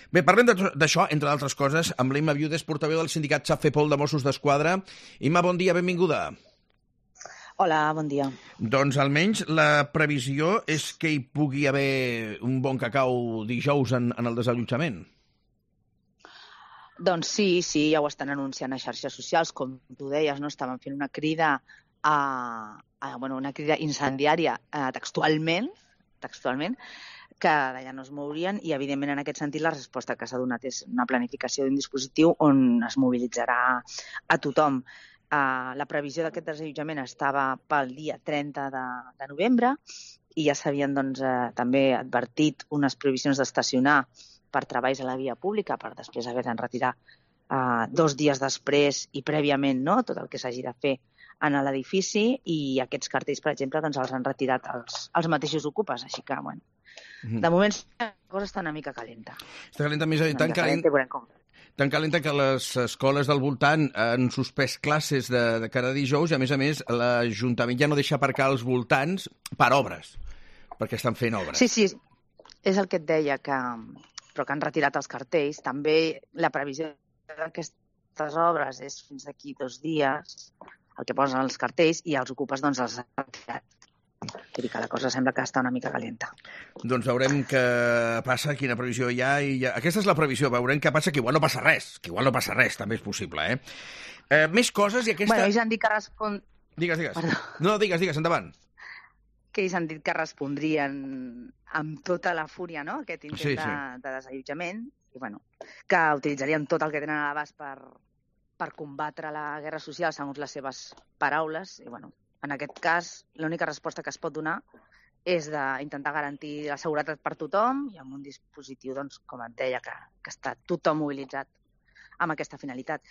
Bé, parlem d'això, entre d'altres coses, amb l'Imma Viudes, portaveu del sindicat Xap-Fepol de Mossos d'Esquadra. Imma, bon dia, benvinguda. Hola, bon dia. Doncs almenys la previsió és que hi pugui haver un bon cacau dijous en el desallotjament. Doncs sí, ja ho estan anunciant a xarxes socials, com tu deies, no? Estaven fent una crida una crida incendiària textualment, que d'allà no es mourien, i evidentment en aquest sentit la resposta que s'ha donat és una planificació d'un dispositiu on es mobilitzarà a tothom. La previsió d'aquest desallotjament estava pel dia 30 de novembre i ja s'havien també advertit unes prohibicions d'estacionar per treballs a la via pública, per després haver de retirar 2 dies després i prèviament, no?, tot el que s'hagi de fer en l'edifici, i aquests cartells, per exemple, doncs els han retirat els mateixos ocupes, així que, bueno, de moment la cosa està una mica calenta. Està calenta, més tan calenta que les escoles del voltant han suspès classes de cada dijous i, a més, l'Ajuntament ja no deixa aparcar als voltants per obres, perquè estan fent obres. Sí, és el que et deia, però que han retirat els cartells. També la previsió d'aquestes obres és fins d'aquí 2 dies, el que posen els cartells, i els ocupes els han retirat. Vull dir que la cosa sembla que està una mica calenta. Doncs veurem què passa, quina previsió hi ha. Aquesta és la previsió, veurem què passa, que igual no passa res, també és possible, més coses i aquesta... Bueno, ells han dit que Digues. Perdó. No, digues, endavant. Que ells han dit que respondrien amb tota la fúria, no?, aquest intent de desallotjament, i bueno, que utilitzarien tot el que tenen a l'abast per combatre la guerra social, segons les seves paraules, i bueno, en aquest cas, l'única resposta que es pot donar és d'intentar garantir la seguretat per tothom i amb un dispositiu, doncs, com et deia, que està tothom mobilitzat amb aquesta finalitat.